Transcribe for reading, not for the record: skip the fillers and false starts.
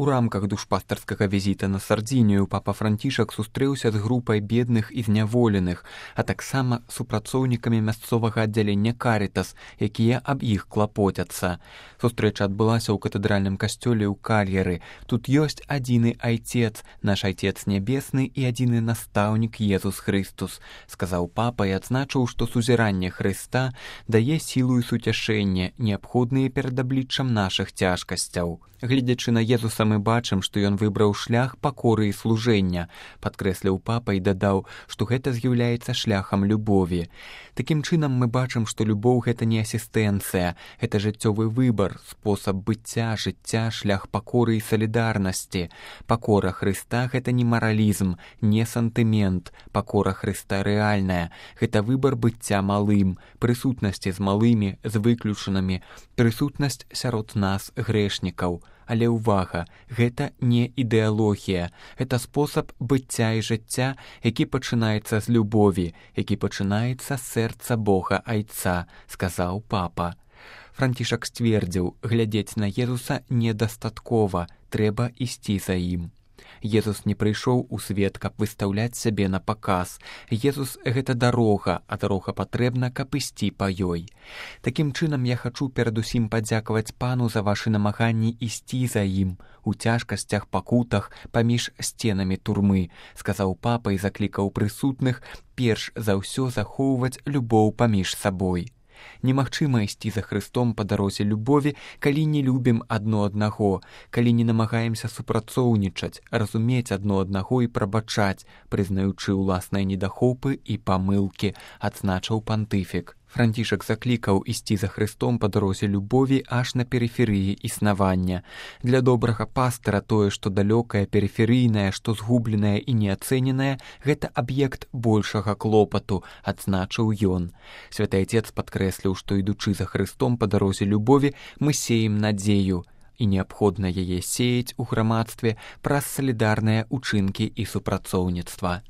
У рамках душпастарскага візіта на Сардзінію папа Францішак сустрэўся з групай бедных і зняволеных, а таксама супрацоўнікамі мясцовага аддзялення Карытас, якія аб іх клапоцяцца. Сустрэча адбылася ў катэдральным касцёле ў Кальяры. Тут ёсць адзіны айцец, наш айцец нябесны і адзіны настаўнік Езус Хрыстус, сказаў папа і адзначыў, што сузіранне Хрыста дае сілу і суцяшэнне, неабходныя перад абліччам нашых цяжкасцяў. Гледзячы на Езуса, мы бачым, што ён выбраў шлях пакоры і служэння, падкрэсліў папа і дадаў, што гэта з'яўляецца шляхам любові. Такім чынам мы бачым, што любоў — гэта не асістэнцыя, гэта жыццёвы выбар, спосаб быцця, жыцця, шлях пакоры і салідарнасці. Пакора Хрыста — гэта не маралізм, не сантымент. Пакора Хрыста рэальная. Гэта выбар быцця малым, прысутнасці з малымі, з выключанымі, прысутнасць сярод нас, грэшнікаў. Але ўвага, гэта не ідэалогія, гэта спосаб быцця і жыцця, які пачынаецца з любові, які пачынаецца з сэрца Бога Айца, сказаў папа. Францішак сцвердзіў, глядзець на Езуса недастаткова, трэба ісці за ім. Езус не прыйшоў у свет, каб выстаўляць сябе на паказ. Езус — гэта дарога, а дарога патрэбна, каб ісці па ёй. Такім чынам я хачу перадусім падзякаваць пану за вашы намаганні ісці за ім у цяжкасцях, пакутах, паміж сценамі турмы, сказаў папа і заклікаў прысутных перш за ўсё захоўваць любоў паміж сабой. Немагчыма ісці за Хрыстом па дарозе любові, калі не любім адно аднаго, калі не намагаемся супрацоўнічаць, разумець адно аднаго і прабачаць, прызнаючы ўласныя недахопы і памылкі, адзначыў пантыфік. Францішак заклікаў ісці за Хрыстом па дарозе любові аж на перыферыі існавання. Для добрага пастара тое, што далёкае, перыферыйнае, што згубленае і неацэненае, гэта аб'ект большага клопату, адзначыў ён. Святы Айцец падкрэсліў, што ідучы за Хрыстом па дарозе любові, мы сеем надзею, і неабходна яе сеяць у грамадстве праз салідарныя ўчынкі і супрацоўніцтва.